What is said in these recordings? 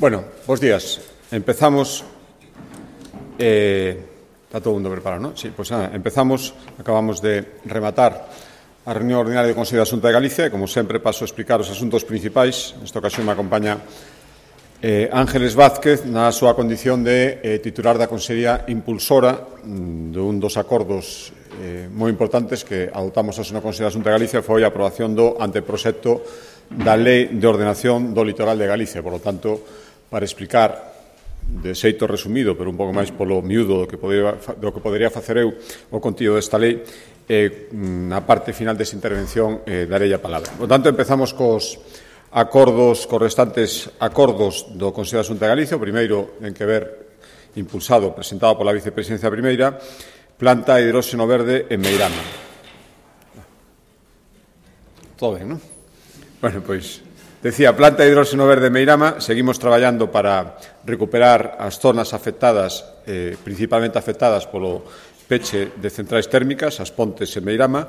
Bueno, bos días. Empezamos. Está todo o mundo preparado, ¿no? Sí, pues empezamos. Acabamos de rematar a reunión ordinaria do Consello da Xunta de Galicia e, como sempre, paso a explicar os asuntos principais. Nesta ocasión me acompaña Ángeles Vázquez na súa condición de titular da Consellería impulsora dun dos acordos moi importantes que adoptamos hoxe no Consello da Xunta de Galicia, foi a aprobación do anteproxecto da Lei de Ordenación do Litoral de Galicia. Por lo tanto, para explicar de xeito resumido, pero un pouco máis polo miúdo do que podería facer eu o contido desta lei, na parte final desta intervención darei a palabra. Por tanto, empezamos cos restantes acordos do Consello da Xunta de Galicia. O primeiro ten que ver, impulsado, presentado pola Vicepresidencia Primeira, planta de hidróxeno verde en Meirama. Todo ben, non? Bueno, pois, decía, planta de hidróxeno verde en Meirama. Seguimos traballando para recuperar as zonas afectadas, principalmente afectadas polo peche de centrais térmicas, as pontes en Meirama.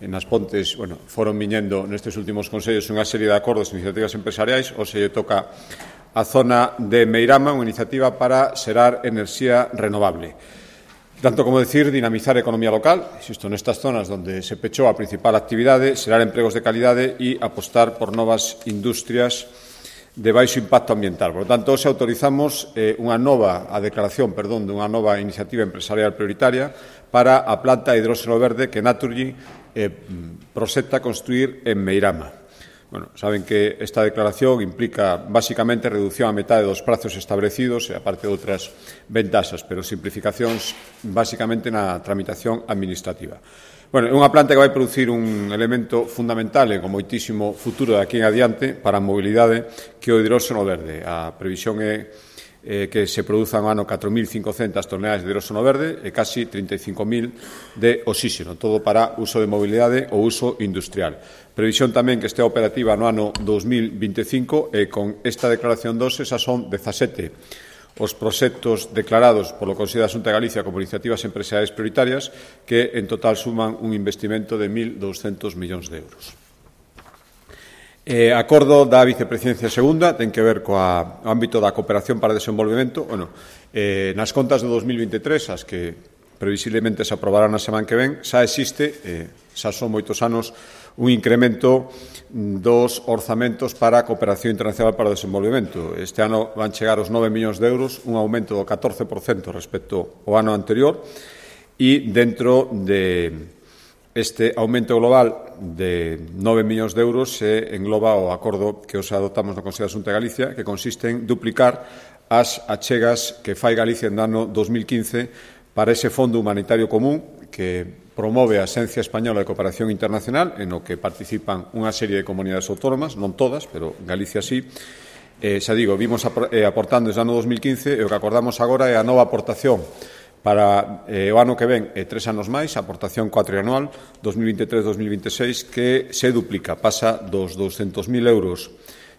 Nas pontes, foron viñendo nestes últimos consellos unha serie de acordos e iniciativas empresariais. Hoxe lle toca a zona de Meirama, unha iniciativa para xerar enerxía renovable. Tanto como decir, dinamizar a economía local, insisto, nestas zonas onde se pechou a principal actividade, xerar empregos de calidade e apostar por novas industrias de baixo impacto ambiental. Por lo tanto, hoxe autorizamos dunha nova iniciativa empresarial prioritaria para a planta de hidróxeno verde que Naturgy proxecta construir en Meirama. Saben que esta declaración implica basicamente reducción a metade dos prazos establecidos e aparte de outras ventaxas, pero simplificacións basicamente na tramitación administrativa. É unha planta que vai producir un elemento fundamental e con moitísimo futuro de aquí en adiante para a mobilidade, que é o hidróxeno verde. A previsión é que se produzan ao ano 4.500 toneladas de hidróxeno verde e casi 35.000 de oxíxeno, todo para uso de mobilidade ou uso industrial. Previsión tamén que estea operativa no ano 2025 e con esta declaración 2 esas son 17 os proxectos declarados polo Consello da Xunta de Galicia como iniciativas empresariais prioritarias que en total suman un investimento de 1.200 millóns de euros. Acordo da Vicepresidencia Segunda ten que ver co ámbito da cooperación para desenvolvemento. Nas contas de 2023, as que previsiblemente se aprobarán a semana que ven, xa existe, xa son moitos anos, un incremento dos orzamentos para a cooperación internacional para o desenvolvemento. Este ano van chegar os 9 millóns de euros, un aumento do 14% respecto ao ano anterior, e dentro de este aumento global de 9 millóns de euros se engloba o acordo que os adoptamos no Consello da Xunta de Galicia, que consiste en duplicar as achegas que fai Galicia no ano 2015 para ese Fondo Humanitario Común que promove a Axencia Española de Cooperación Internacional, en o que participan unha serie de comunidades autónomas, non todas, pero Galicia sí. Xa digo, vimos aportando desde o ano 2015 e o que acordamos agora é a nova aportación para o ano que ven 3 anos máis, a aportación cuatrianual 2023-2026, que se duplica, pasa dos 200.000 euros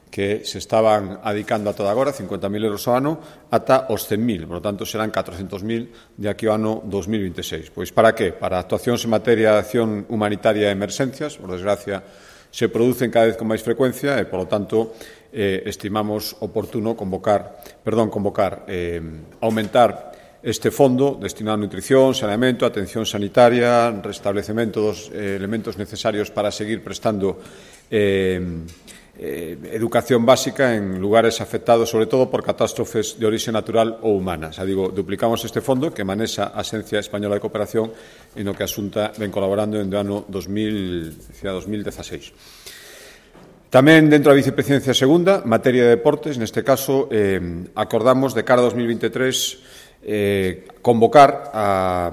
que se estaban adicando a toda agora, 50.000 euros ao ano, ata os 100.000, por lo tanto serán 400.000 de aquí ao ano 2026. Pois para que? Para actuacións en materia de acción humanitaria e emerxencias, por desgracia se producen cada vez con máis frecuencia e, por lo tanto, estimamos oportuno aumentar este fondo destinado a nutrición, saneamento, atención sanitaria, restablecemento dos elementos necesarios para seguir prestando educación básica en lugares afectados sobre todo por catástrofes de orixe natural ou humana. Xa digo, duplicamos este fondo que manexa a Axencia Española de Cooperación en o que a Xunta ven colaborando en o ano 2016. Tamén dentro da Vicepresidencia Segunda, materia de deportes, neste caso acordamos de cara a 2023 convocar a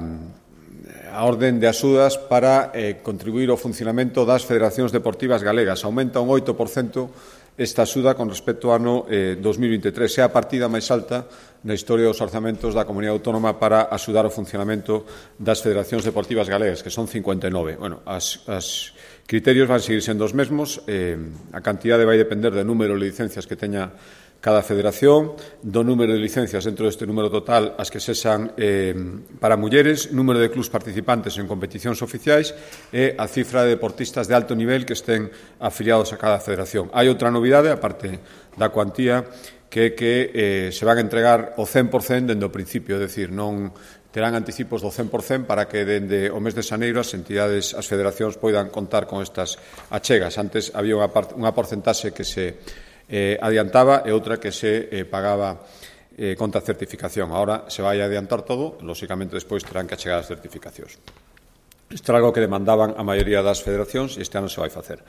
orden de axudas para contribuir ao funcionamento das federacións deportivas galegas. Aumenta un 8% esta axuda con respecto ao ano 2023. É a partida máis alta na historia dos orzamentos da Comunidade Autónoma para axudar o funcionamento das federacións deportivas galegas, que son 59. Os criterios van seguir sendo os mesmos. A cantidade vai depender do número de licencias que teña cada federación, do número de licencias dentro deste número total as que sexan para mulleres, número de clubs participantes en competicións oficiais e a cifra de deportistas de alto nivel que estén afiliados a cada federación. Hai outra novidade, aparte da cuantía, que se van a entregar o 100% dende o principio, é dicir, non terán anticipos do 100% para que dende o mes de xaneiro as entidades, as federacións poidan contar con estas achegas. Antes había unha porcentaxe que se adiantaba e outra que se pagaba contra certificación. Ahora se vai adiantar todo, lóxicamente despois terán que achegar as certificacións. Isto era algo que demandaban a maioría das federacións e este ano se vai facer.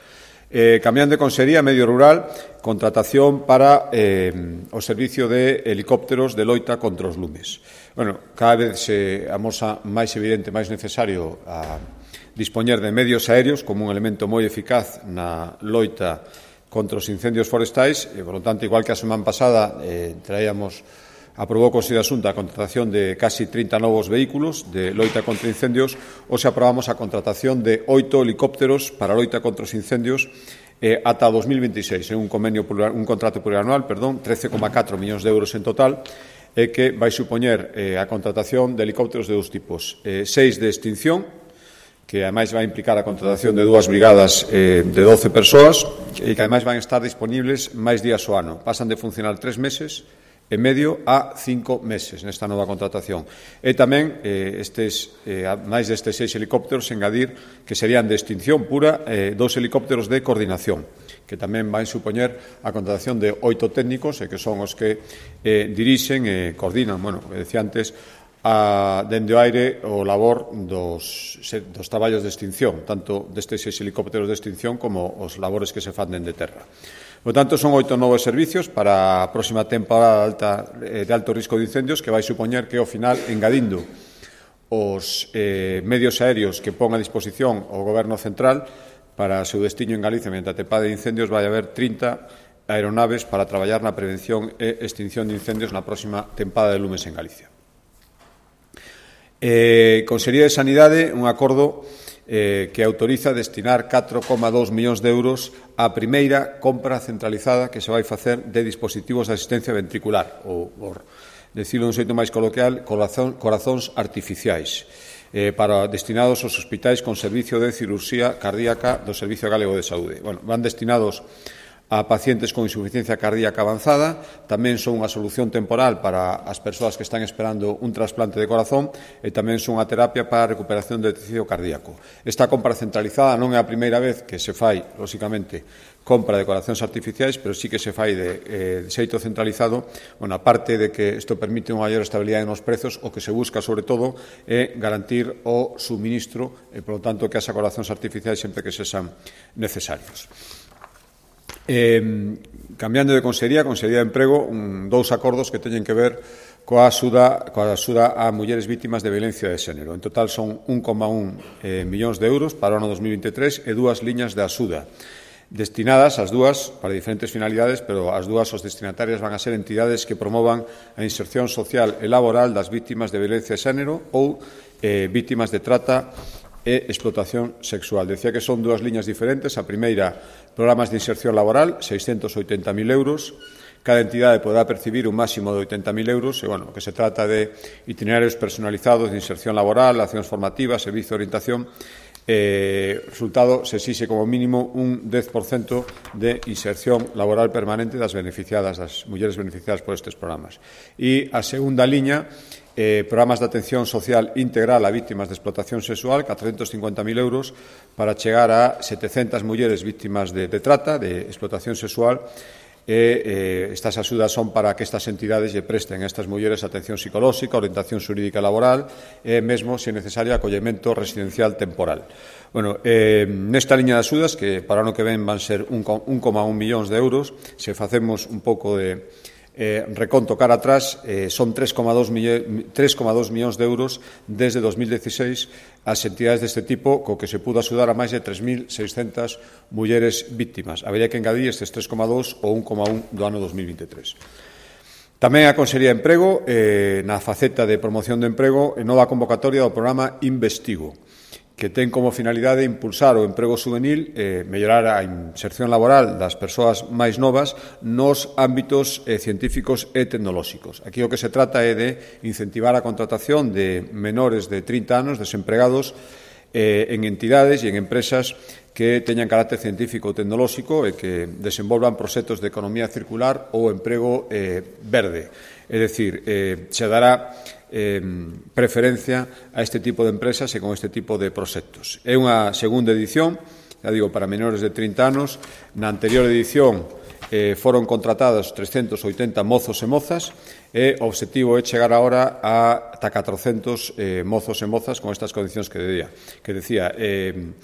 Cambiando de consellería, medio rural, contratación para o servicio de helicópteros de loita contra os lumes. Bueno, cada vez se amosa máis evidente, máis necesario a dispoñer de medios aéreos como un elemento moi eficaz na loita contra os incendios forestais e, por lo tanto, igual que a semana pasada aprobou o Consello de Asunta a contratación de casi 30 novos vehículos de loita contra incendios, hoxe aprobamos a contratación de 8 helicópteros para a loita contra os incendios ata 2026, un contrato plurianual, 13,4 millóns de euros en total, que vai supoñer a contratación de helicópteros de dous tipos, 6 de extinción, que ademais vai implicar a contratación de 2 brigadas de 12 persoas e que ademais van estar disponibles máis días ao ano. Pasan de funcionar 3 meses e medio a 5 meses nesta nova contratación. E tamén máis destes 6 helicópteros engadir que serían de extinción pura 2 helicópteros de coordinación, que tamén van supoñer a contratación de 8 técnicos e que son os que dirixen e coordinan, decía antes, dende o aire o labor dos traballos de extinción, tanto destes 6 helicópteros de extinción como os labores que se fan dende terra. Por tanto, son 8 novos servicios para a próxima temporada de alto risco de incendios que vai supoñer que, ao final, engadindo os medios aéreos que pon a disposición o Goberno Central para o seu destino en Galicia mediante a tempada de incendios, vai haber 30 aeronaves para traballar na prevención e extinción de incendios na próxima tempada de lumes en Galicia. Consellería de Sanidade, un acordo que autoriza destinar 4,2 millóns de euros á primeira compra centralizada que se vai facer de dispositivos de asistencia ventricular, ou, por decirlo dun xeito máis coloquial, corazóns artificiais, destinados aos hospitais con servicio de cirurxía cardíaca do Servicio Galego de Saúde. Van destinados a pacientes con insuficiencia cardíaca avanzada, tamén son unha solución temporal para as persoas que están esperando un trasplante de corazón e tamén son unha terapia para a recuperación do tecido cardíaco. Esta compra centralizada non é a primeira vez que se fai, lóxicamente, compra de corazóns artificiais, pero sí que se fai de xeito centralizado. Aparte de que isto permite unha maior estabilidade nos prezos, o que se busca, sobre todo, é garantir o suministro e, por lo tanto, que haxa corazóns artificiais sempre que sexan necesarios. Cambiando de Consellería de Emprego, 2 acordos que teñen que ver coa axuda a mulleres vítimas de violencia de xénero. En total son 1,1 millóns de euros para o ano 2023 e 2 liñas de axuda destinadas as dúas para diferentes finalidades, pero as dúas os destinatarias van a ser entidades que promovan a inserción social e laboral das vítimas de violencia de xénero ou vítimas de trata e explotación sexual. Decía que son 2 liñas diferentes. A primeira, programas de inserción laboral, 680.000 euros. Cada entidade podrá percibir un máximo de 80.000 euros e, que se trata de itinerarios personalizados de inserción laboral, accións formativas, servicio de orientación. Resultado, se exixe como mínimo un 10% de inserción laboral permanente das mulleres beneficiadas por estes programas. E a segunda liña, programas de atención social integral a vítimas de explotación sexual, 450.000 euros, para chegar a 700 mulleres vítimas de trata, de explotación sexual. Estas axudas son para que estas entidades lle presten a estas mulleres atención psicolóxica, orientación xurídica laboral e mesmo, se necesario, acollemento residencial temporal. Nesta liña de axudas, que para o ano que ven van ser 1,1 millóns de euros, se facemos un pouco de reconto cara atrás, son 3,2 millóns de euros desde 2016 as entidades deste tipo, co que se pudo axudar a máis de 3.600 mulleres vítimas. Habería que engadir estes 3,2 ou 1,1 do ano 2023. Tamén a Consellería de Emprego, na faceta de promoción de emprego, nova convocatoria do programa Investigo, que ten como finalidade impulsar o emprego juvenil e mellorar a inserción laboral das persoas máis novas nos ámbitos científicos e tecnolóxicos. Aquí o que se trata é de incentivar a contratación de menores de 30 anos desempregados en entidades e en empresas que teñan carácter científico ou tecnolóxico e que desenvolvan proxectos de economía circular ou emprego verde. É dicir, se dará preferencia a este tipo de empresas e con este tipo de proxectos. É unha segunda edición, já digo, para menores de 30 anos. Na anterior edición foron contratados 380 mozos e mozas e o obxectivo é chegar agora a ata 400 mozos e mozas con estas condicións que decía.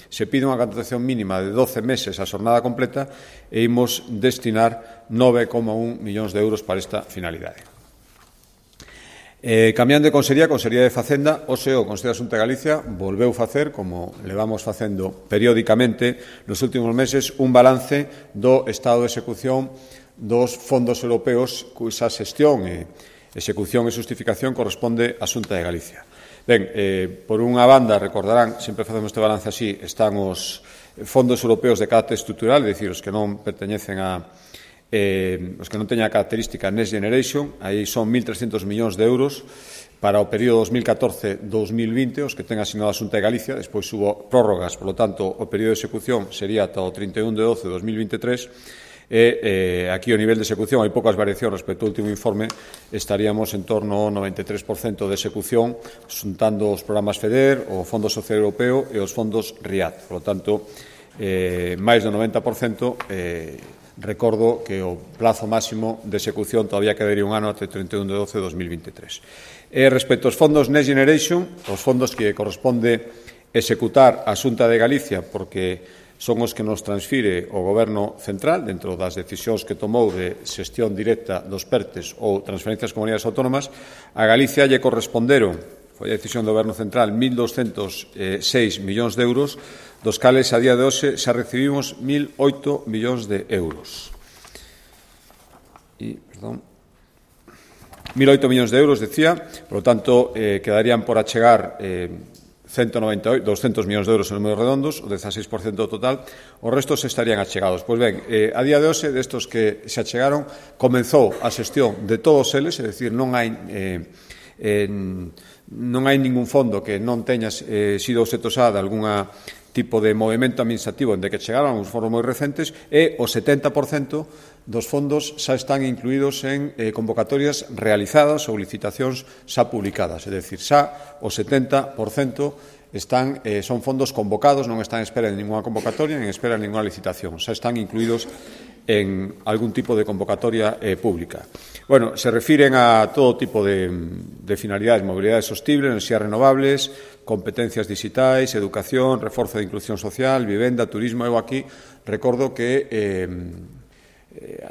Se pide unha contratación mínima de 12 meses a xornada completa e imos destinar 9,1 millóns de euros para esta finalidade. Cambiando de Consellería de Facenda, hoxe o Consello da Xunta de Galicia volveu facer, como levamos facendo periódicamente nos últimos meses, un balance do estado de execución dos fondos europeos cuxa xestión e execución e xustificación corresponde á Xunta de Galicia. Ben, por unha banda, recordarán, sempre facemos este balance así, están os fondos europeos de carácter estrutural, é dicir, os que non perteñecen os que non teñen a característica Next Generation, aí son 1.300 millóns de euros para o período 2014-2020, os que ten asignado a Xunta de Galicia. Despois hubo prórrogas, por lo tanto, o período de execución sería ata o 31 de 12 de 2023 e aquí o nivel de execución, hai poucas variacións respecto ao último informe, estaríamos en torno ao 93% de execución, xuntando os programas FEDER, o Fondo Social Europeo e os fondos RIAD. Por lo tanto, máis do 90%. Recordo que o plazo máximo de execución todavía quedaría un ano até 31 de 12 de 2023. Respecto aos fondos Next Generation, os fondos que corresponde executar a Xunta de Galicia, porque son os que nos transfire o Goberno central dentro das decisións que tomou de xestión directa dos PERTES ou transferencias a comunidades autónomas, a Galicia lle corresponderon, foi a decisión do Goberno central, 1.206 millóns de euros, dos cales a día de hoxe xa recibimos 1.008 millóns de euros. 1.008 millóns de euros, decía, por lo tanto, quedarían por achegar 200 millóns de euros en números redondos, o 16% do total, os restos estarían achegados. Pois ben, a día de hoxe, destos que se achegaron, comenzou a xestión de todos eles, é dicir, non hai ningún fondo que non teña sido obxecto xa de algunha tipo de movimento administrativo en que chegaron uns foros moi recentes e o 70% dos fondos xa están incluídos en convocatorias realizadas ou licitacións xa publicadas. É dicir, xa o 70% son fondos convocados, non están en espera de ninguna convocatoria, nin en espera de ninguna licitación. Xa están incluídos en algún tipo de convocatoria pública. Bueno, se refiren a todo tipo de finalidades, mobilidade sostible, enerxías renovables, competencias digitais, educación, reforzo de inclusión social, vivenda, turismo. Eu aquí recordo que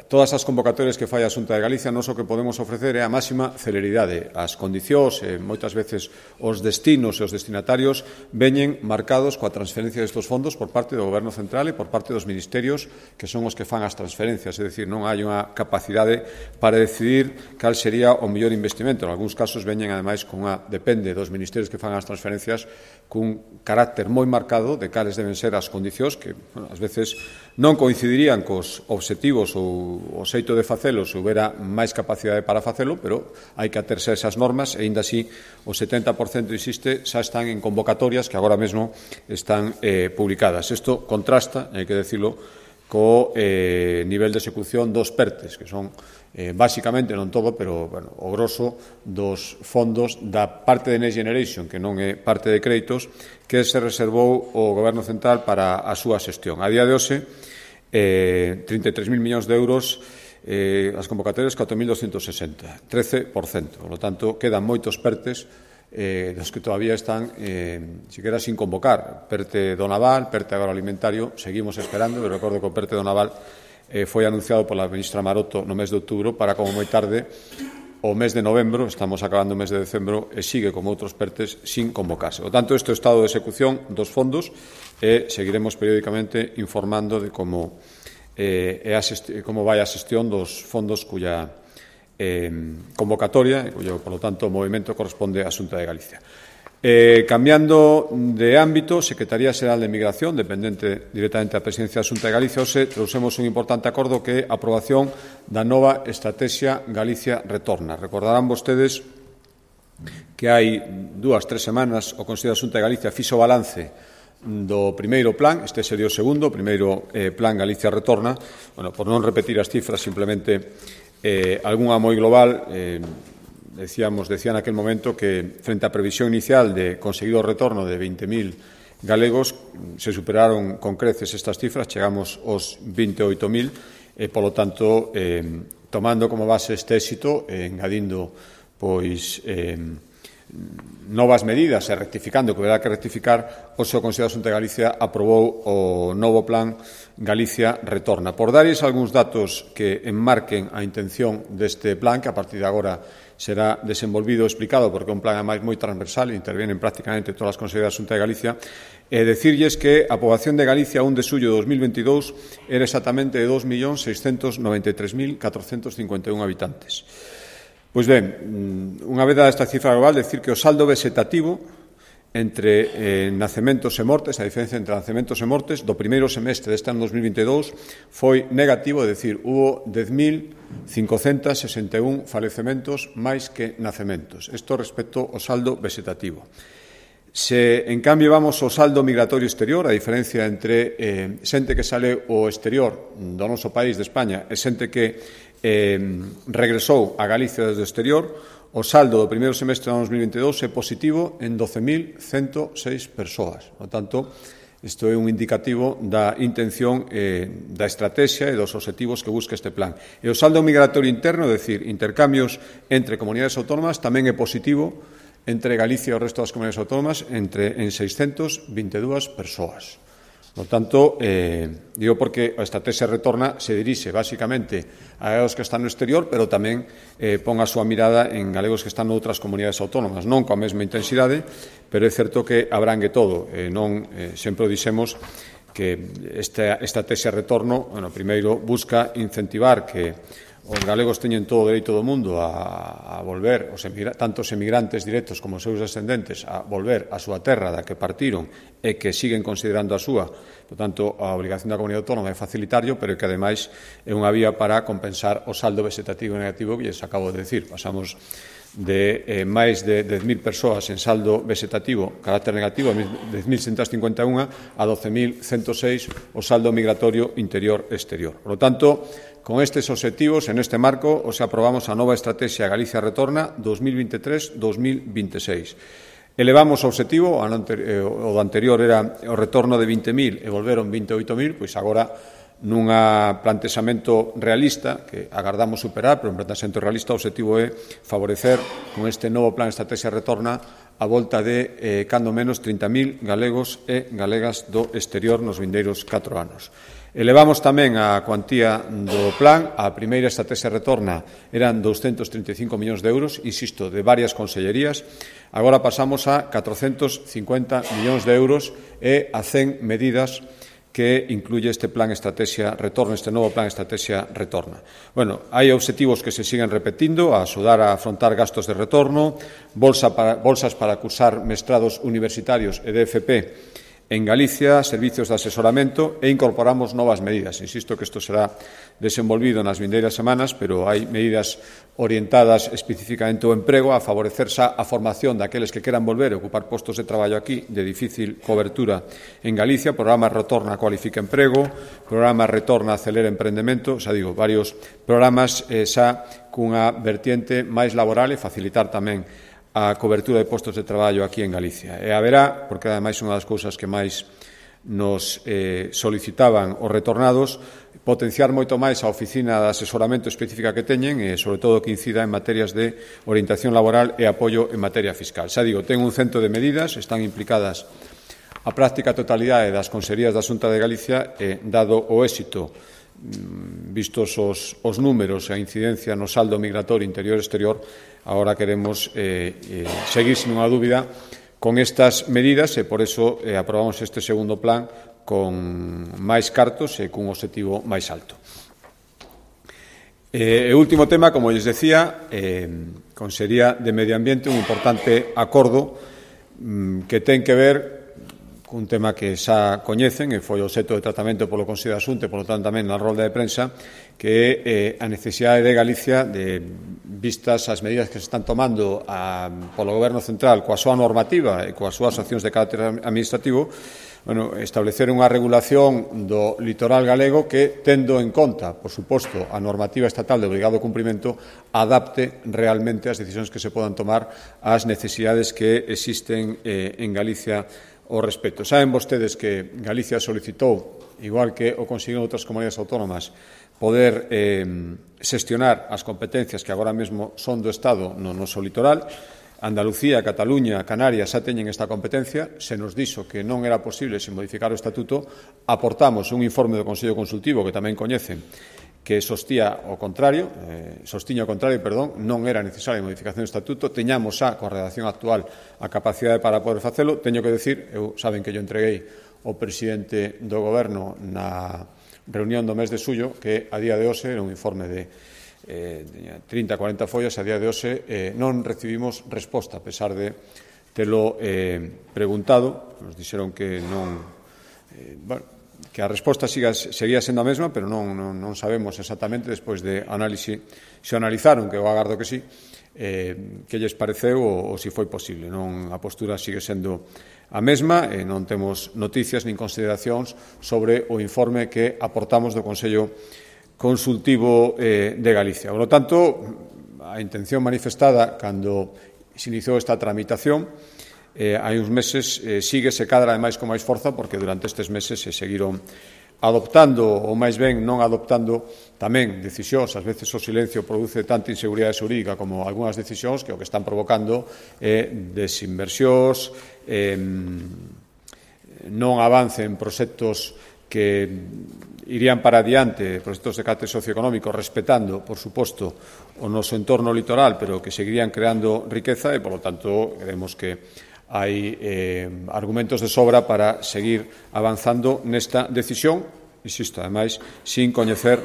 todas as convocatorias que fai a Xunta de Galicia, nós o que podemos ofrecer é a máxima celeridade. As condicións, moitas veces os destinos e os destinatarios veñen marcados coa transferencia destes fondos por parte do Goberno central e por parte dos ministerios que son os que fan as transferencias. É dicir, non hai unha capacidade para decidir cal sería o mellor investimento. En algúns casos veñen, ademais, depende dos ministerios que fan as transferencias, cun carácter moi marcado de cales deben ser as condicións que, ás veces, non coincidirían cos obxectivos ou o xeito de facelo se houbera máis capacidade para facelo, pero hai que aterse a esas normas e, aínda así, o 70%, insiste, xa están en convocatorias que agora mesmo están publicadas. Isto contrasta, hai que decirlo, co nivel de execución dos PERTES, que son, basicamente, non todo, pero o grosso dos fondos da parte de Next Generation, que non é parte de créditos, que se reservou o Goberno central para a súa xestión. A día de hoxe, 33.000 millóns de euros, as convocatorias 4.260, 13%. Por lo tanto, quedan moitos PERTES dos que todavía están siquiera sin convocar. PERTE do Naval, PERTE agroalimentario, seguimos esperando. Eu recordo que o PERTE do Naval foi anunciado pola ministra Maroto no mes de outubro para, como moi tarde, o mes de novembro, estamos acabando o mes de decembro, e sigue como outros PERTES sin convocarse. Por tanto, este é o estado de execución dos fondos e seguiremos periódicamente informando de como vai a xestión dos fondos cuya convocatoria e cuyo, por lo tanto, movimento corresponde á Xunta de Galicia. Cambiando de ámbito, Secretaría Xeral de Migración, dependente directamente da Presidencia da Xunta de Galicia, hoxe trouxemos un importante acordo que é a aprobación da nova Estrategia Galicia Retorna. Recordarán vostedes que hai 2-3 semanas o Consello da Xunta de Galicia fixo balance do primeiro plan, este sería o segundo, o primeiro plan Galicia Retorna. Bueno, por non repetir as cifras, simplemente algunha moi global, decía naquel momento que frente á previsión inicial de conseguir o retorno de 20.000 galegos, se superaron con creces estas cifras, chegamos aos 28.000, e, polo tanto, tomando como base este éxito, engadindo, pois, novas medidas e rectificando o que haberá que rectificar, o seu Consello da Xunta de Galicia aprobou o novo plan Galicia Retorna. Por darles algúns datos que enmarquen a intención deste plan, que a partir de agora será desenvolvido e explicado, porque é un plan ademais moi transversal e intervienen prácticamente todas as conselleiras da Xunta de Galicia, e decirlles que a poboación de Galicia a 1 de xullo de 2022 era exactamente de 2.693.451 habitantes. Pois ben, unha vez dada esta cifra global, decir que o saldo vegetativo entre nacementos e mortes, a diferencia entre nacementos e mortes, do primeiro semestre deste ano 2022 foi negativo, é dicir, hubo 10.561 falecementos máis que nacementos. Isto respecto ao saldo vegetativo. Se, en cambio, vamos ao saldo migratorio exterior, a diferencia entre xente que sale ao exterior do noso país, de España, e xente que regresou a Galicia desde o exterior, o saldo do primeiro semestre do ano 2022 é positivo en 12.106 persoas. Por tanto, isto é un indicativo da intención da estrategia e dos obxectivos que busca este plan. E o saldo migratorio interno, é dicir, intercambios entre comunidades autónomas, tamén é positivo entre Galicia e o resto das comunidades autónomas en 622 persoas. Por tanto, digo porque a estrategia Retorna se dirixe basicamente a galegos que están no exterior, pero tamén pon a súa mirada en galegos que están noutras comunidades autónomas, non coa mesma intensidade, pero é certo que abrangue todo. Sempre o dixemos que esta estrategia Retorno, primeiro, busca incentivar que os galegos teñen todo o dereito do mundo a volver, tanto os emigrantes directos como os seus descendentes, a volver á súa terra da que partiron e que siguen considerando a súa. Por tanto, a obrigación da comunidade autónoma é facilitarlo, pero que, ademais, é unha vía para compensar o saldo vegetativo negativo que lles acabo de decir. Pasamos de máis de 10.000 persoas en saldo vegetativo, carácter negativo, 10.151 a 12.106 o saldo migratorio interior-exterior. Por lo tanto, con estes obxectivos, en este marco, os aprobamos a nova estrategia Galicia Retorna 2023-2026. Elevamos o obxectivo, o do anterior era o retorno de 20.000 e volveron 28.000, pois agora nunha plantexamento realista, que agardamos superar, pero un plantexamento realista, o obxectivo é favorecer con este novo plan Estrategia Retorna a volta de, cando menos, 30.000 galegos e galegas do exterior nos vindeiros 4 anos. Elevamos tamén a cuantía do plan. A primeira estrategia Retorna eran 235 millóns de euros, insisto, de varias consellerías. Agora pasamos a 450 millóns de euros e a 100 medidas que incluye este plan Estrategia Retorna, este novo plan Estrategia Retorna. Bueno, hai obxectivos que se siguen repetindo, a axudar a afrontar gastos de retorno, bolsas para cursar mestrados universitarios e DFP en Galicia, servicios de asesoramento, e incorporamos novas medidas. Insisto que isto será desenvolvido nas vindeiras semanas, pero hai medidas orientadas especificamente ao emprego, a favorecer xa a formación daqueles que queran volver a ocupar postos de traballo aquí de difícil cobertura en Galicia, programa Retorna Cualifica Emprego, programa Retorna Acelera Emprendemento, xa digo, varios programas xa cunha vertiente máis laboral e facilitar tamén a cobertura de postos de traballo aquí en Galicia. E haberá, porque ademais unha das cousas que máis nos solicitaban os retornados, potenciar moito máis a oficina de asesoramento específica que teñen e, sobre todo, que incida en materias de orientación laboral e apoio en materia fiscal. Xa digo, ten un cento de medidas, están implicadas a práctica totalidade das consellerías da Xunta de Galicia e, dado o éxito, vistos os números e a incidencia no saldo migratorio interior-exterior, agora queremos seguir sin unha dúbida con estas medidas e, por eso, aprobamos este segundo plan con máis cartos e cun obxectivo máis alto. E último tema, como lles decía, Consellería de Medio Ambiente, un importante acordo que ten que ver un tema que xa coñecen e foi obxecto de tratamento polo Consello da Xunta e, polo tanto, tamén na rolda de prensa, que é a necesidade de Galicia de vistas as medidas que se están tomando polo Goberno Central coa súa normativa e coas súas accións de carácter administrativo, establecer unha regulación do litoral galego que, tendo en conta, por suposto, a normativa estatal de obrigado cumprimento, adapte realmente as decisións que se podan tomar ás necesidades que existen en Galicia ao respecto. Saben vostedes que Galicia solicitou, igual que o conseguiron outras comunidades autónomas, poder xestionar as competencias que agora mesmo son do Estado no noso litoral. Andalucía, Cataluña, Canarias xa teñen esta competencia. Se nos dixo que non era posible sen modificar o Estatuto, aportamos un informe do Consello Consultivo que tamén coñecen que sostiña o contrario, non era necesaria a modificación do Estatuto, teñamos xa, coa redacción actual, a capacidade para poder facelo. Teño que decir, saben que yo entreguei ao presidente do Goberno na reunión do mes de xullo, que a día de hoxe era un informe de 30-40 follas, a día de hoxe non recibimos resposta, a pesar de telo preguntado. Nos dixeron que non, que a resposta seguía sendo a mesma, pero non sabemos exactamente, despois de análise, se analizaron, que eu agardo que sí, que lles pareceu ou se foi posible. A postura sigue sendo a mesma e non temos noticias nin consideracións sobre o informe que aportamos do Consello Consultivo de Galicia. Por lo tanto, a intención manifestada cando se iniciou esta tramitación hai uns meses síguese cada vez máis con máis forza, porque durante estes meses se seguiron adoptando, ou máis ben non adoptando, tamén decisións. Ás veces o silencio produce tanta inseguridade xurídica como algunhas decisións que o que están provocando é desinversións, non avance en proxectos que irían para adiante, proxectos de carácter socioeconómico, respetando, por suposto, o noso entorno litoral, pero que seguirían creando riqueza e, por lo tanto, creemos que hai argumentos de sobra para seguir avanzando nesta decisión, insisto, ademais, sin coñecer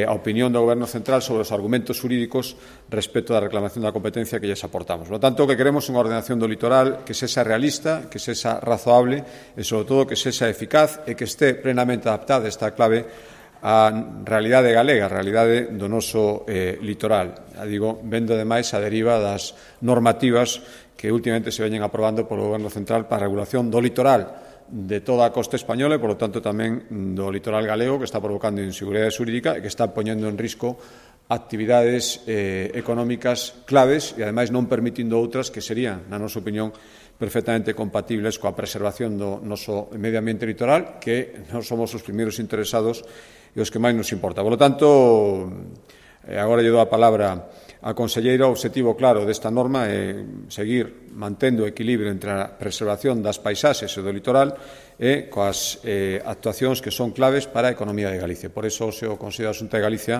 a opinión do Goberno Central sobre os argumentos xurídicos respecto da reclamación da competencia que lles aportamos. Por lo tanto, o que queremos é unha ordenación do litoral que sexa realista, que sexa razoable e, sobre todo, que sexa eficaz e que este plenamente adaptada, esta clave, a realidade galega, a realidade do noso litoral. Digo, vendo, ademais, a deriva das normativas que últimamente se veñen aprobando polo Goberno Central para a regulación do litoral de toda a costa española e, por lo tanto, tamén do litoral galego, que está provocando inseguridade xurídica e que está poñendo en risco actividades económicas claves e, ademais, non permitindo outras que serían, na nosa opinión, perfectamente compatibles coa preservación do noso medio ambiente litoral, que non somos os primeiros interesados e os que máis nos importa. Por lo tanto, agora lle dou a palabra a conselleira. O obxectivo claro desta norma é seguir mantendo o equilibrio entre a preservación das paisaxes e do litoral e coas actuacións que son claves para a economía de Galicia. Por iso, o Consello da Xunta de Galicia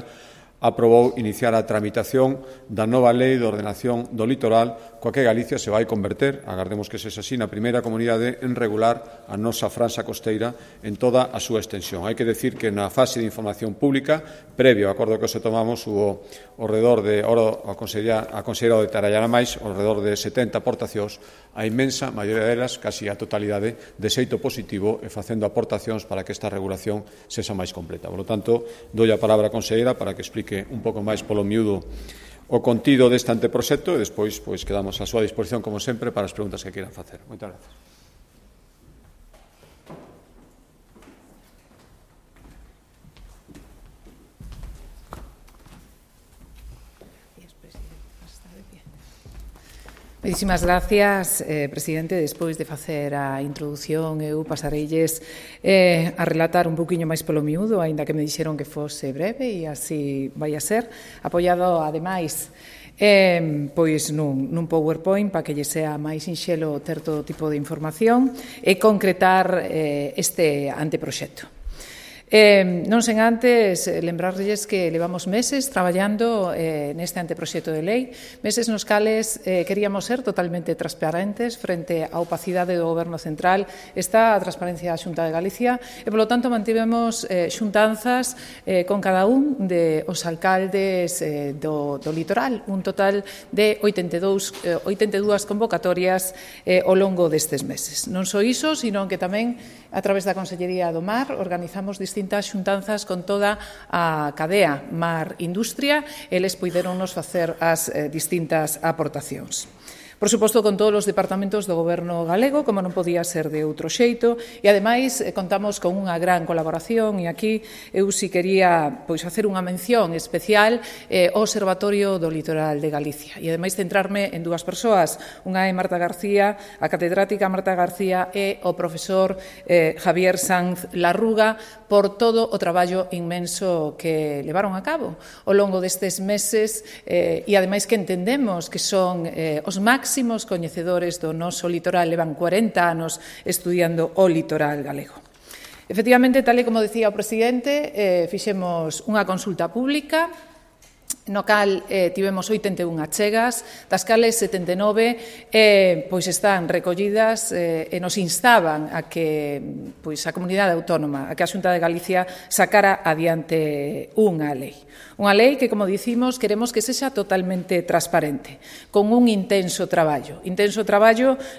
aprobou iniciar a tramitación da nova lei de ordenación do litoral, coa que Galicia se vai converter, agardemos que sexa así, na primeira comunidade en regular a nosa franxa costeira en toda a súa extensión. Hai que decir que na fase de información pública, previo ao acordo que se tomamos, hubo alrededor de, a conselleira detallará máis, alrededor de 70 aportacións, a inmensa maioría delas, casi a totalidade, de xeito positivo e facendo aportacións para que esta regulación sexa máis completa. Por lo tanto, dou a palabra á conselleira para que explique un pouco máis polo miúdo o contido deste anteproxecto e despois quedamos á súa disposición, como sempre, para as preguntas que queiran facer. Moitas grazas. Moitísimas gracias, presidente. Despois de facer a introdución, eu pasareilles a relatar un poquinho máis polo miúdo, aínda que me dixeron que fose breve, e así vai a ser, apoiado, ademais, pois nun PowerPoint para que lle sea máis sinxelo ter todo tipo de información e concretar este anteproxecto. Non sen antes lembrarlles que levamos meses traballando neste anteproxecto de lei, meses nos cales queríamos ser totalmente transparentes frente á opacidade do Goberno Central. Está a transparencia da Xunta de Galicia e, polo tanto, mantivemos xuntanzas con cada un dos alcaldes do litoral, un total de 82 convocatorias ao longo destes meses. Non só iso, sino que tamén, a través da Consellería do Mar, organizamos distintos distintas xuntanzas con toda a cadea mar-industria, eles puideronnos facer as distintas aportacións. Por suposto, con todos os departamentos do Goberno galego, como non podía ser de outro xeito, e, ademais, contamos con unha gran colaboración, e aquí eu si quería facer unha mención especial ao Observatorio do Litoral de Galicia. E, ademais, centrarme en dúas persoas. Unha é Marta García, a catedrática Marta García, e o profesor Javier Sanz Larruga, por todo o traballo inmenso que levaron a cabo ao longo destes meses, e, ademais, que entendemos que son os máximos coñecedores do noso litoral, levan 40 anos estudiando o litoral galego. Efectivamente, tal e como decía o presidente, fixemos unha consulta pública no cal tivemos 81 achegas, das cales 79 están recollidas e nos instaban a que a comunidade autónoma, a que a Xunta de Galicia sacara adiante unha lei. Unha lei que, como dicimos, queremos que sexa totalmente transparente, con un intenso traballo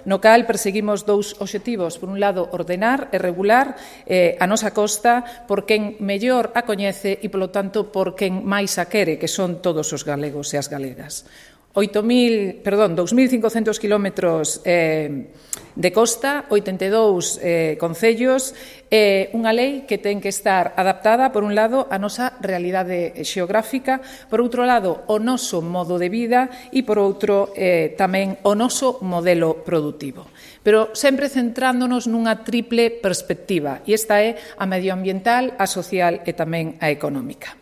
no cal perseguimos dous obxectivos. Por un lado, ordenar e regular a nosa costa por quen mellor a coñece e, polo tanto, por quen máis a quere, que son todos os galegos e as galegas. 2.500 kilómetros de costa, 82 concellos, unha lei que ten que estar adaptada, por un lado, á nosa realidade xeográfica, por outro lado, o noso modo de vida e, por outro, tamén o noso modelo productivo. Pero sempre centrándonos nunha triple perspectiva, e esta é a medioambiental, a social e tamén a económica.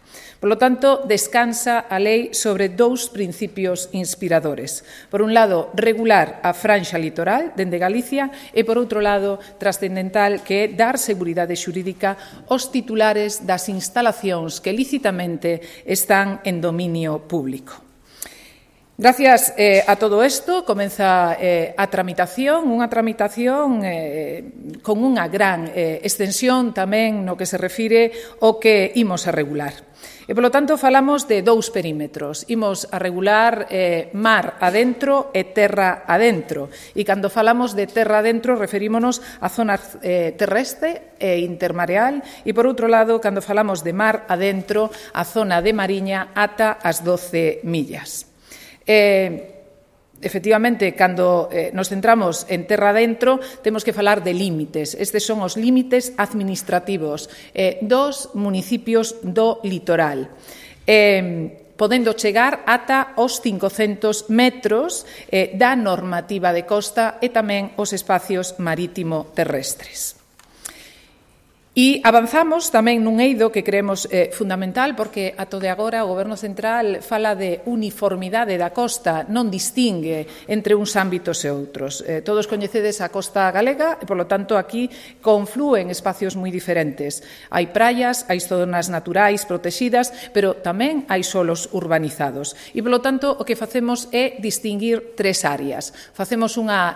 Por lo tanto, descansa a lei sobre dous principios inspiradores. Por un lado, regular a franxa litoral dende Galicia e, por outro lado, trascendental, que é dar seguridade xurídica aos titulares das instalacións que lícitamente están en dominio público. Gracias a todo isto, comeza a tramitación, unha tramitación con unha gran extensión tamén no que se refire ao que imos a regular. E, polo tanto, falamos de dous perímetros. Imos a regular mar adentro e terra adentro. E, cando falamos de terra adentro, referímonos a zona terrestre e intermareal. E, por outro lado, cando falamos de mar adentro, a zona de Mariña ata as 12 millas. Efectivamente, cando nos centramos en terra adentro, temos que falar de límites. Estes son os límites administrativos dos municipios do litoral, podendo chegar ata os 500 metros da normativa de costa e tamén os espacios marítimo terrestres. E avanzamos tamén nun eido que creemos fundamental, porque ato de agora o Goberno Central fala de uniformidade da costa, non distingue entre uns ámbitos e outros. Todos coñecedes a costa galega e, polo tanto, aquí conflúen espacios moi diferentes. Hai praias, hai zonas naturais protegidas, pero tamén hai solos urbanizados. E, polo tanto, o que facemos é distinguir tres áreas. Facemos unha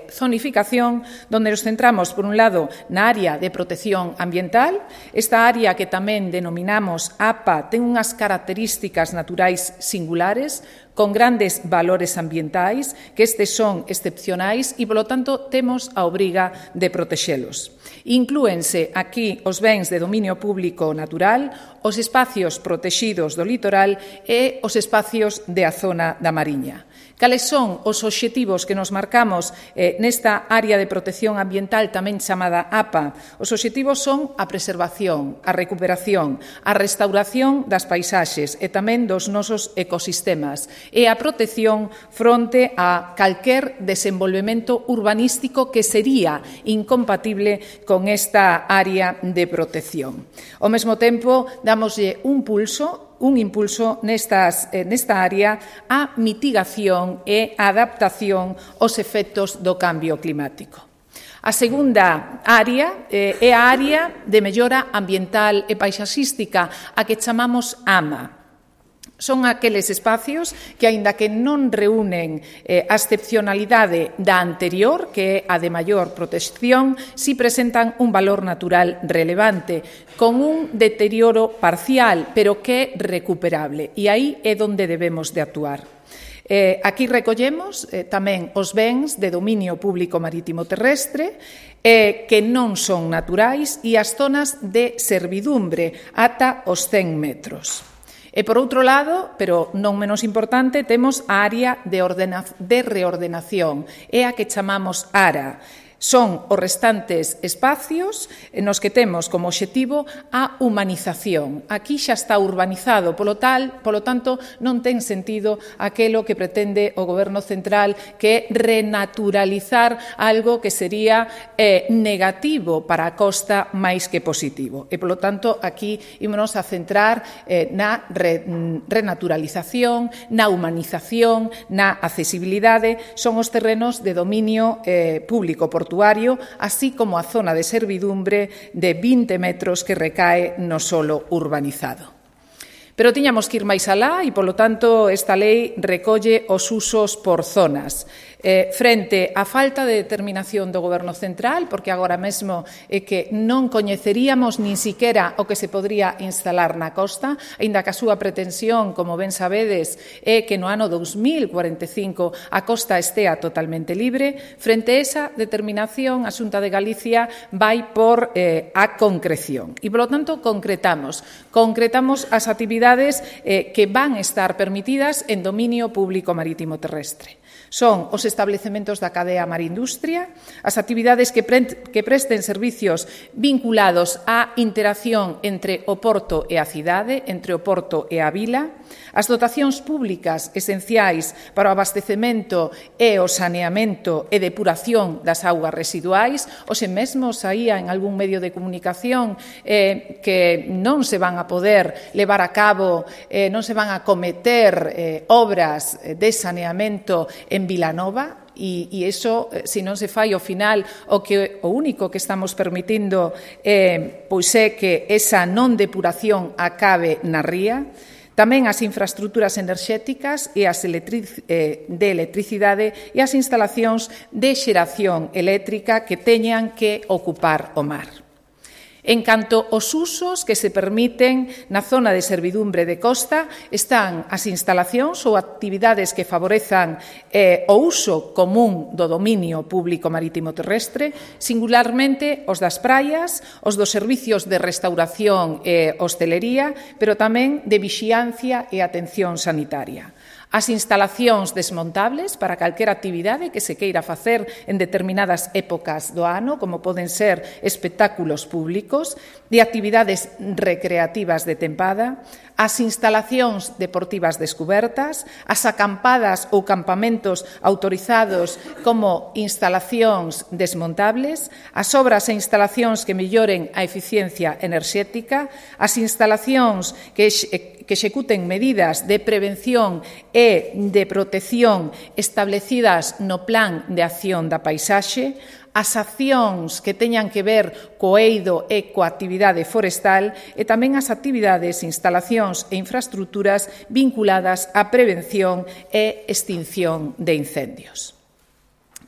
zonificación onde nos centramos, por un lado, na área de protección ambiental. Esta área, que tamén denominamos APA, ten unhas características naturais singulares, con grandes valores ambientais, que estes son excepcionais e, polo tanto, temos a obriga de protexelos. Inclúense aquí os bens de dominio público natural, os espacios protexidos do litoral e os espacios da zona da Mariña. Cales son os obxectivos que nos marcamos nesta área de protección ambiental tamén chamada APA? Os obxectivos son a preservación, a recuperación, a restauración das paisaxes e tamén dos nosos ecosistemas e a protección fronte a calquer desenvolvemento urbanístico que sería incompatible con esta área de protección. Ao mesmo tempo, damoslle un impulso nesta área á mitigación e á adaptación aos efectos do cambio climático. A segunda área é a área de mellora ambiental e paisaxística, a que chamamos AMA. Son aqueles espacios que, aínda que non reúnen a excepcionalidade da anterior, que é a de maior protección, si presentan un valor natural relevante, con un deterioro parcial, pero que é recuperable. E aí é onde debemos de actuar. Aquí recollemos tamén os bens de dominio público marítimo terrestre que non son naturais e as zonas de servidumbre ata os 100 metros. E, por outro lado, pero non menos importante, temos a área de reordenación, é a que chamamos ARA. Son os restantes espacios nos que temos como obxectivo a humanización. Aquí xa está urbanizado, polo tanto, non ten sentido aquelo que pretende o Goberno central, que é renaturalizar algo que sería negativo para a costa máis que positivo. E, polo tanto, aquí ímonos a centrar na renaturalización, na humanización, na accesibilidade. Son os terrenos de dominio público portuario, así como a zona de servidumbre de 20 metros que recae no solo urbanizado. Pero tiñamos que ir máis alá e, polo tanto, esta lei recolle os usos por zonas. Frente á falta de determinación do Goberno central, porque agora mesmo é que non coñeceríamos nin siquiera o que se podría instalar na costa, aínda que a súa pretensión, como ben sabedes, é que no ano 2045 a costa estea totalmente libre. Frente a esa determinación, a Xunta de Galicia vai por a concreción. E, polo tanto, concretamos as actividades que van estar permitidas en dominio público marítimo terrestre. Son os establecementos da cadea marindustria, as actividades que presten servicios vinculados á interacción entre o porto e a cidade, entre o porto e a vila, as dotacións públicas esenciais para o abastecemento e o saneamento e depuración das augas residuais. Hoxe mesmo saía en algún medio de comunicación que non se van a poder levar a cabo, non se van a cometer obras de saneamento en Vilanova, e iso, se non se fai ao final, o único que estamos permitindo pois é que esa non depuración acabe na ría. Tamén as infraestructuras enerxéticas e as de electricidade e as instalacións de xeración eléctrica que teñan que ocupar o mar. En canto aos usos que se permiten na zona de servidumbre de costa, están as instalacións ou actividades que favorezan o uso común do dominio público marítimo terrestre, singularmente os das praias, os dos servicios de restauración e hostelería, pero tamén de vixiancia e atención sanitaria. As instalacións desmontables para calquera actividade que se queira facer en determinadas épocas do ano, como poden ser espectáculos públicos, de actividades recreativas de tempada, as instalacións deportivas descubertas, as acampadas ou campamentos autorizados como instalacións desmontables, as obras e instalacións que melloren a eficiencia enerxética, as instalacións que executen medidas de prevención e de protección establecidas no Plan de Acción da Paisaxe, as accións que teñan que ver co eido e coa actividade forestal e tamén as actividades, instalacións e infraestructuras vinculadas á prevención e extinción de incendios.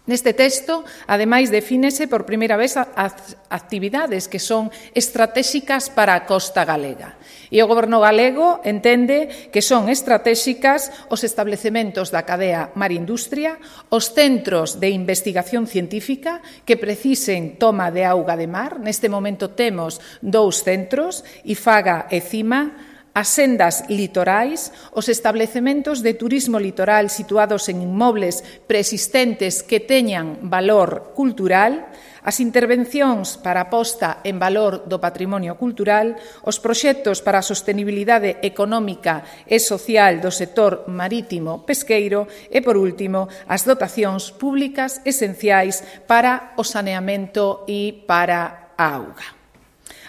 Neste texto, ademais, defínese por primeira vez as actividades que son estratéxicas para a costa galega. E o Goberno galego entende que son estratéxicas os establecementos da cadea marindustria, os centros de investigación científica que precisen toma de auga de mar. Neste momento temos 2 centros, IFAGA e CIMA, as sendas litorais, os establecementos de turismo litoral situados en inmobles preexistentes que teñan valor cultural, as intervencións para a posta en valor do patrimonio cultural, os proxectos para a sostenibilidade económica e social do sector marítimo pesqueiro e, por último, as dotacións públicas esenciais para o saneamento e para a auga.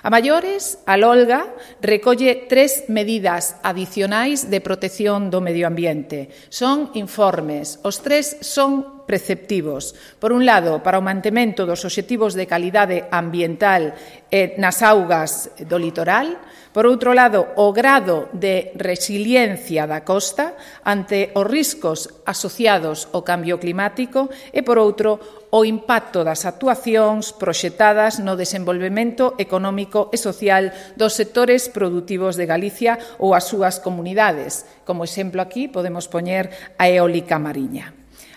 A maiores, a LOLGA recolle 3 medidas adicionais de protección do medio ambiente. Son informes, os 3 son preceptivos. Por un lado, para o mantemento dos obxectivos de calidade ambiental nas augas do litoral. Por outro lado, o grado de resiliencia da costa ante os riscos asociados ao cambio climático e, por outro, o impacto das actuacións proxectadas no desenvolvemento económico e social dos sectores produtivos de Galicia ou as súas comunidades. Como exemplo aquí podemos poñer a eólica mariña.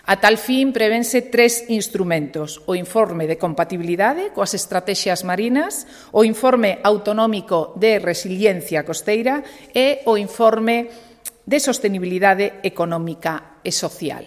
A tal fin, prevense 3 instrumentos: o informe de compatibilidade coas estratexias marinas, o informe autonómico de resiliencia costeira e o informe de sostenibilidade económica e social.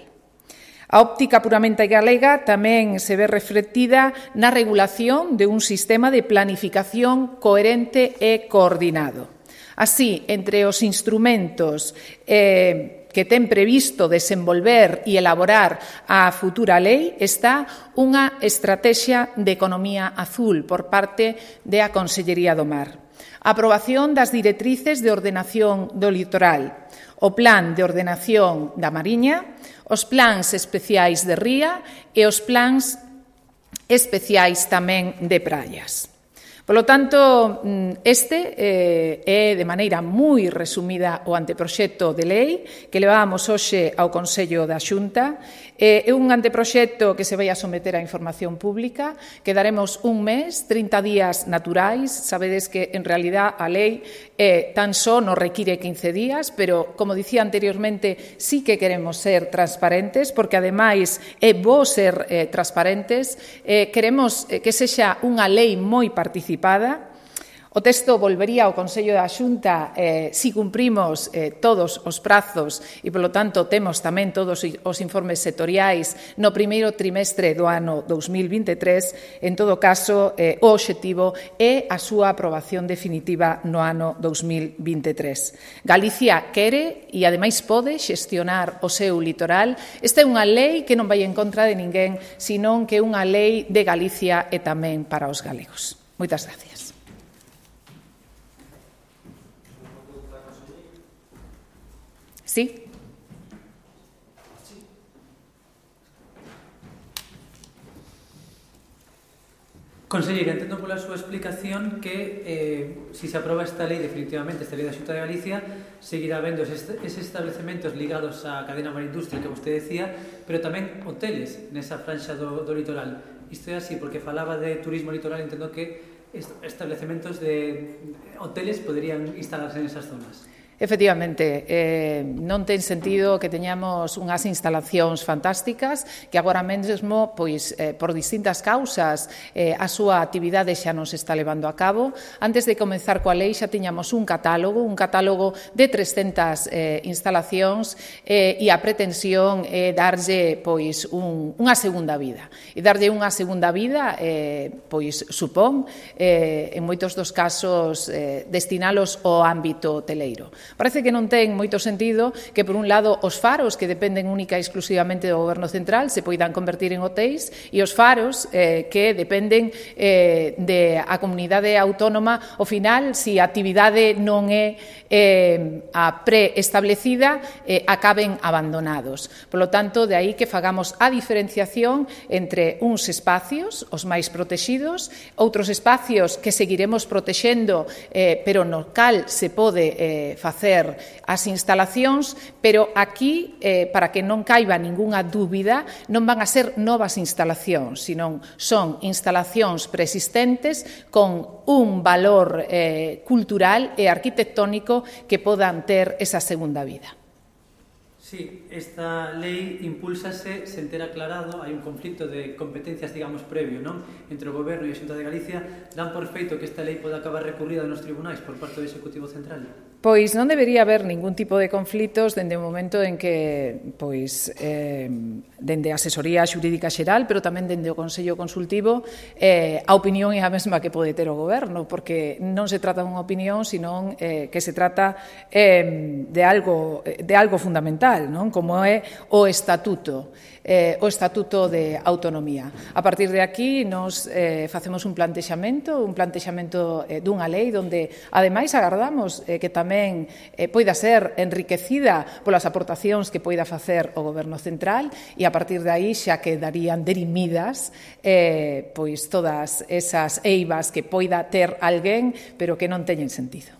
A óptica puramente galega tamén se ve reflectida na regulación de un sistema de planificación coherente e coordinado. Así, entre os instrumentos que ten previsto desenvolver e elaborar a futura lei está unha estrategia de economía azul por parte da Consellería do Mar. A aprobación das directrices de ordenación do litoral, o plan de ordenación da Mariña, os plans especiais de ría e os plans especiais tamén de praias. Polo tanto, este é de maneira moi resumida o anteproxecto de lei que levábamos hoxe ao Consello da Xunta. É un anteproxecto que se vai a someter a información pública, que daremos un mes, 30 días naturais. Sabedes que, en realidad, a lei tan só nos require 15 días, pero, como dicía anteriormente, sí que queremos ser transparentes, porque, ademais, é bo ser transparentes. Queremos que sexa unha lei moi participada. O texto volvería ao Consello da Xunta si cumprimos todos os prazos e, polo tanto, temos tamén todos os informes sectoriais no primeiro trimestre do ano 2023. En todo caso, o obxectivo é a súa aprobación definitiva no ano 2023. Galicia quere e, ademais, pode xestionar o seu litoral. Esta é unha lei que non vai en contra de ninguén, senón que é unha lei de Galicia e tamén para os galegos. Moitas gracias. Sí. Conselleira, entendo pola súa explicación que si se aproba esta lei definitivamente, esta lei da Xunta de Galicia, seguirá habendo eses establecementos ligados á cadena marindustria que vostede decía, pero tamén hoteles nesa franxa do litoral. Isto é así, porque falaba de turismo litoral, entendo que establecementos de hoteles poderían instalarse nesas zonas. Efectivamente, non ten sentido que teñamos unhas instalacións fantásticas que agora mesmo, pois, por distintas causas, a súa actividade xa non se está levando a cabo. Antes de comenzar coa lei xa tiñamos un catálogo de 300 instalacións e a pretensión é darlle, pois, unha segunda vida. E darlle unha segunda vida, pois, supón, en moitos dos casos, destinalos ao ámbito hoteleiro. Parece que non ten moito sentido que, por un lado, os faros, que dependen única e exclusivamente do Goberno Central, se poidan convertir en hotéis, e os faros, que dependen da comunidade autónoma, ao final, se a actividade non é a preestablecida, acaben abandonados. Por lo tanto, de aí que fagamos a diferenciación entre uns espacios, os máis protegidos, outros espacios que seguiremos protexendo, pero no cal se pode facer as instalacións, pero aquí, para que non caiba ningunha dúbida, non van a ser novas instalacións, senón son instalacións preexistentes con un valor cultural e arquitectónico que podan ter esa segunda vida. Sí, esta lei impúlsase sen ter aclarado, hai un conflito de competencias, digamos, previo, non? Entre o Goberno e a Xunta de Galicia, dan por feito que esta lei pode acabar recurrida nos tribunais por parte do Executivo Central? Pois non debería haber ningún tipo de conflitos dende o momento en que, pois, dende a asesoría xurídica xeral, pero tamén dende o Consello Consultivo, a opinión é a mesma que pode ter o Goberno, porque non se trata dunha opinión, senón que se trata de algo fundamental, non? Como é o Estatuto de Autonomía. A partir de aquí, nos facemos un plantexamento dunha lei onde, ademais, agardamos que tamén tamén poida ser enriquecida polas aportacións que poida facer o Goberno Central e a partir de aí xa quedarían derimidas pois todas esas eivas que poida ter alguén pero que non teñen sentido.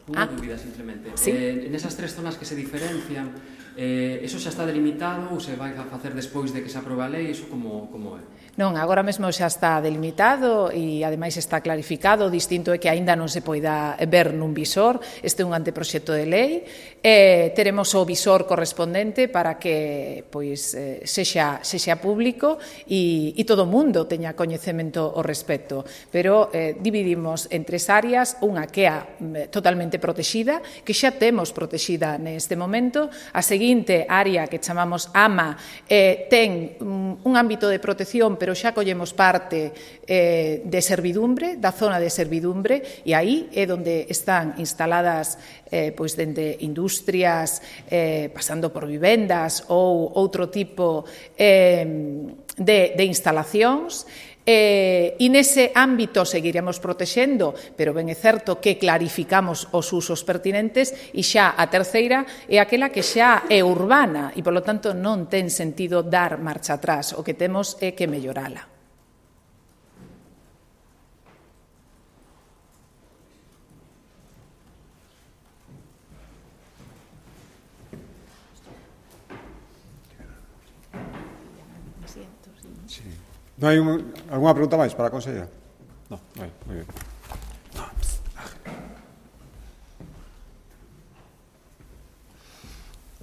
Unha dúbida, simplemente. Sí. En esas tres zonas que se diferencian, eso xa está delimitado ou se vai a facer despois de que se aprobe a lei? Iso como é? Non, agora mesmo xa está delimitado e ademais está clarificado. O distinto é que aínda non se poida ver nun visor. Este é un anteproxecto de lei. Teremos o visor correspondente para que pois sexa público e todo o mundo teña coñecemento ao respecto. Pero dividimos en tres áreas, unha que é totalmente protexida, que xa temos protexida neste momento. A seguinte área que chamamos AMA ten un ámbito de protección, pero xa collemos parte de servidumbre, da zona de servidumbre, e aí é onde están instaladas pois dende industrias, pasando por vivendas ou outro tipo de instalacións. E nese ámbito seguiremos protexendo, pero ben é certo que clarificamos os usos pertinentes e xa a terceira é aquela que xa é urbana e, polo tanto, non ten sentido dar marcha atrás. O que temos é que mellorala. Non hai algunha pregunta máis para a consellera? Non, moi ben.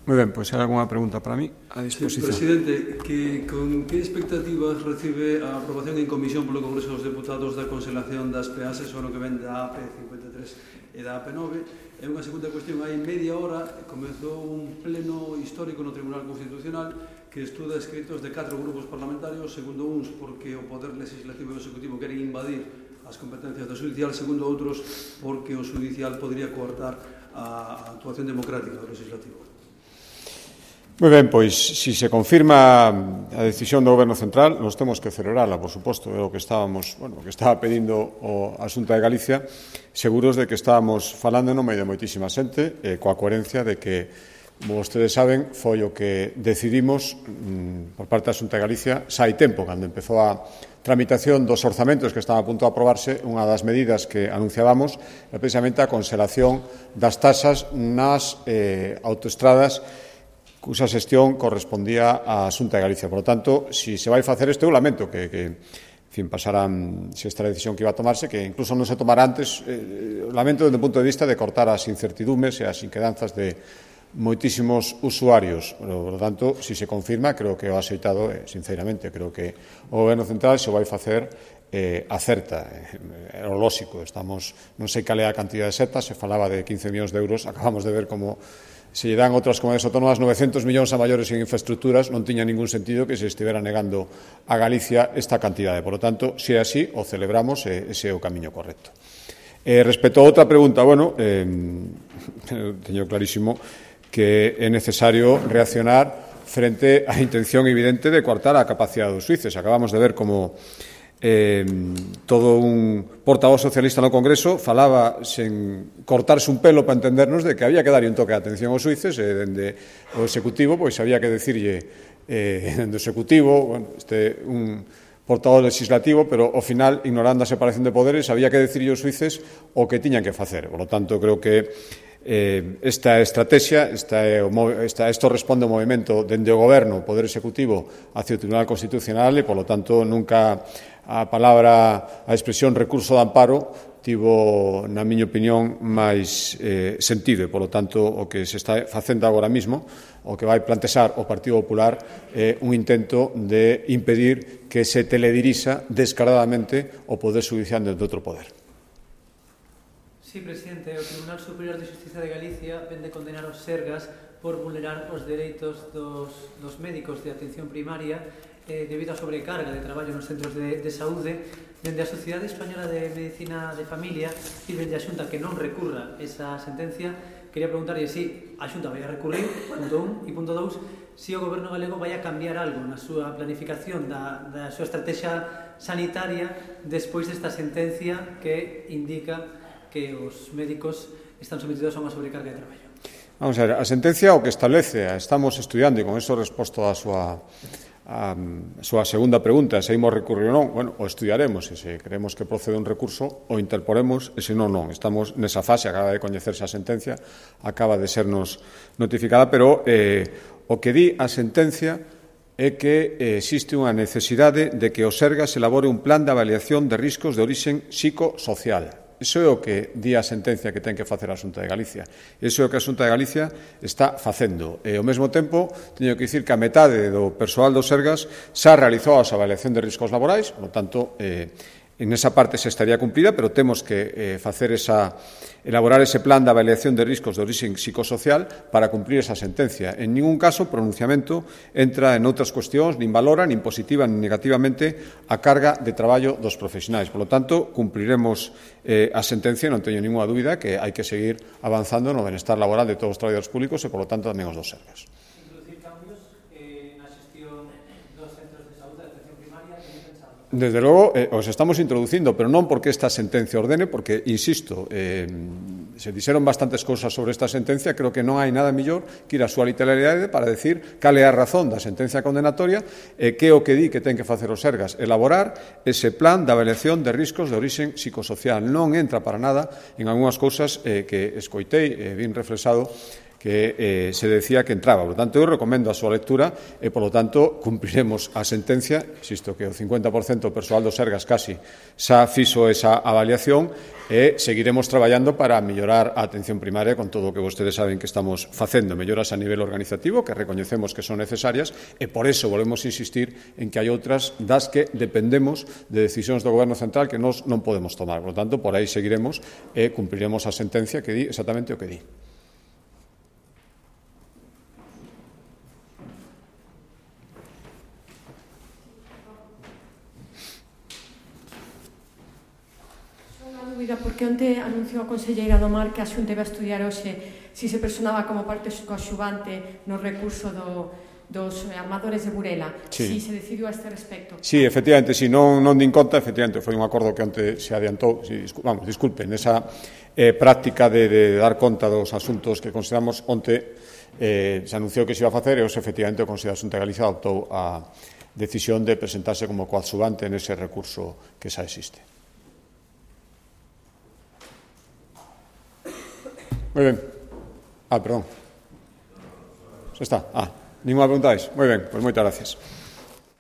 Moi ben, pois hai algunha pregunta para mí a disposición. Presidente, con que expectativas recibe a aprobación en comisión polo Congreso dos Deputados da cancelación das peaxes o ano que ven da AP 53 e da AP 9? E unha segunda cuestión, hai media hora comezou un pleno histórico no Tribunal Constitucional que estuda escritos de 4 grupos parlamentarios, segundo uns porque o Poder Legislativo e o Executivo queren invadir as competencias do Judicial, segundo outros porque o Judicial podría coartar a actuación democrática do Legislativo. Moi ben, pois, se se confirma a decisión do Goberno Central, nos temos que celebrarla, por suposto, é o que estábamos, o que estaba pedindo a Xunta de Galicia, seguros de que estábamos falando no medio de moitísima xente, coa coherencia de que, como vostedes saben, foi o que decidimos por parte da Xunta de Galicia xa hai tempo, cando empezou a tramitación dos orzamentos que estaban a punto de aprobarse. Unha das medidas que anunciábamos é precisamente a conselación das taxas nas autoestradas cuxa xestión correspondía á Xunta de Galicia. Por lo tanto, se vai facer isto, eu lamento que pasarán, se esta decisión que iba a tomarse, que incluso non se tomara antes, lamento desde o punto de vista de cortar as incertidumes e as inquedanzas de moitísimos usuarios. Por lo tanto, se se confirma, creo que o axeitado, sinceramente, creo que o Goberno Central se vai facer acerta. É o lóxico, estamos, non sei cal é a cantidad de setas, se falaba de 15 millóns de euros, acabamos de ver como se lle dan outras comunidades autónomas 900 millóns a maiores en infraestructuras, non tiña ningún sentido que se estivera negando a Galicia esta cantidade. Por lo tanto, se é así, o celebramos e ese é o camiño correcto. Respecto a outra pregunta, bueno, teño clarísimo que é necesario reaccionar frente á intención evidente de coartar a capacidade dos xuíces. Acabamos de ver como todo un portavoz socialista no Congreso falaba sen cortarse un pelo para entendernos de que había que darlle un toque de atención aos xuíces e dende o Executivo pois había que decirlle dende o Executivo, bueno, un portavoz legislativo, pero ao final, ignorando a separación de poderes, había que decirlle aos xuíces o que tiñan que facer. Por lo tanto, creo que esta estrategia, isto responde ao movimento dende o Goberno, o Poder Executivo, hacia o Tribunal Constitucional e, por lo tanto, nunca a palabra, a expresión recurso de amparo tivo, na miña opinión, máis sentido e, por lo tanto, o que se está facendo agora mismo, o que vai plantexar o Partido Popular é un intento de impedir que se teledirixa descaradamente o Poder Judicial dentro de outro poder. Sí, presidente, o Tribunal Superior de Xustiza de Galicia vende condenar os Sergas por vulnerar os dereitos dos médicos de atención primaria debido á sobrecarga de traballo nos centros de saúde. Dende a Sociedade Española de Medicina de Familia e dende a Xunta que non recurra esa sentencia, quería preguntarlle se a Xunta vai a recurrir, punto 1, e punto 2, si o Goberno galego vai a cambiar algo na súa planificación da súa estrategia sanitaria despois desta sentencia que indica que os médicos están sometidos a unha sobrecarga de traballo. Vamos a ver, a sentencia o que establece, estamos estudiando, e con eso resposto a súa segunda pregunta, se imos recurrir ou non, bueno, o estudiaremos, e se creemos que procede un recurso, o interporemos, e se non, non. Estamos nesa fase, acaba de coñecerse a sentencia, acaba de sernos notificada, pero o que di a sentencia é que existe unha necesidade de que o Sergas elabore un plan de avaliación de riscos de orixen psicosocial. Iso é o que di a sentencia que ten que facer a Xunta de Galicia. Iso é o que a Xunta de Galicia está facendo. E, ao mesmo tempo, teño que dicir que a metade do persoal do Sergas xa realizou a avaliación de riscos laborais, por lo tanto, en esa parte se estaría cumplida, pero temos que elaborar ese plan de avaliación de riscos de orixen psicosocial para cumplir esa sentencia. En ningún caso, o pronunciamento entra en outras cuestións, nin valora, nin positiva, nin negativamente a carga de traballo dos profesionais. Por lo tanto, cumpliremos a sentencia, non teño ninguna dúbida que hai que seguir avanzando no benestar laboral de todos os traballadores públicos e, por lo tanto, tamén os dos Sergas. Desde logo, os estamos introducindo, pero non porque esta sentencia ordene, porque, insisto, se dixeron bastantes cousas sobre esta sentencia, creo que non hai nada mellor que ir a súa literalidade para decir cal é a razón da sentencia condenatoria e que é o que di que ten que facer os Sergas, elaborar ese plan de avaliación de riscos de orixen psicosocial. Non entra para nada en algunhas cousas que escoitei, vin reflexado, que se decía que entraba. Por lo tanto, eu recomendo a súa lectura e, por lo tanto, cumpriremos a sentencia, insisto que o 50% do persoal do Sergas casi xa fixo esa avaliación e seguiremos traballando para mellorar a atención primaria con todo o que vostedes saben que estamos facendo, melloras a nivel organizativo que recoñecemos que son necesarias e por eso volvemos a insistir en que hai outras das que dependemos de decisións do Goberno Central que nós non podemos tomar. Por lo tanto, por aí seguiremos e cumpriremos a sentencia que di exactamente o que di. Porque onte anunciou a conselleira do Mar que a Xunta iba a estudiar hoxe se se personaba como parte coaxuvante no recurso dos armadores de Burela. Si se decidiu a este respecto. Sí, efectivamente, si non din conta, efectivamente, foi un acordo que onte se adiantou, disculpen, esa práctica de dar conta dos asuntos que consideramos onte se anunciou que se iba a facer e hoxe, efectivamente, o Consello da Xunta de Galicia adoptou a decisión de presentarse como coaxuvante nese recurso que xa existe. Moi ben. Perdón. Xa está. Ninguna pregunta máis? Moi ben, pois moitas gracias.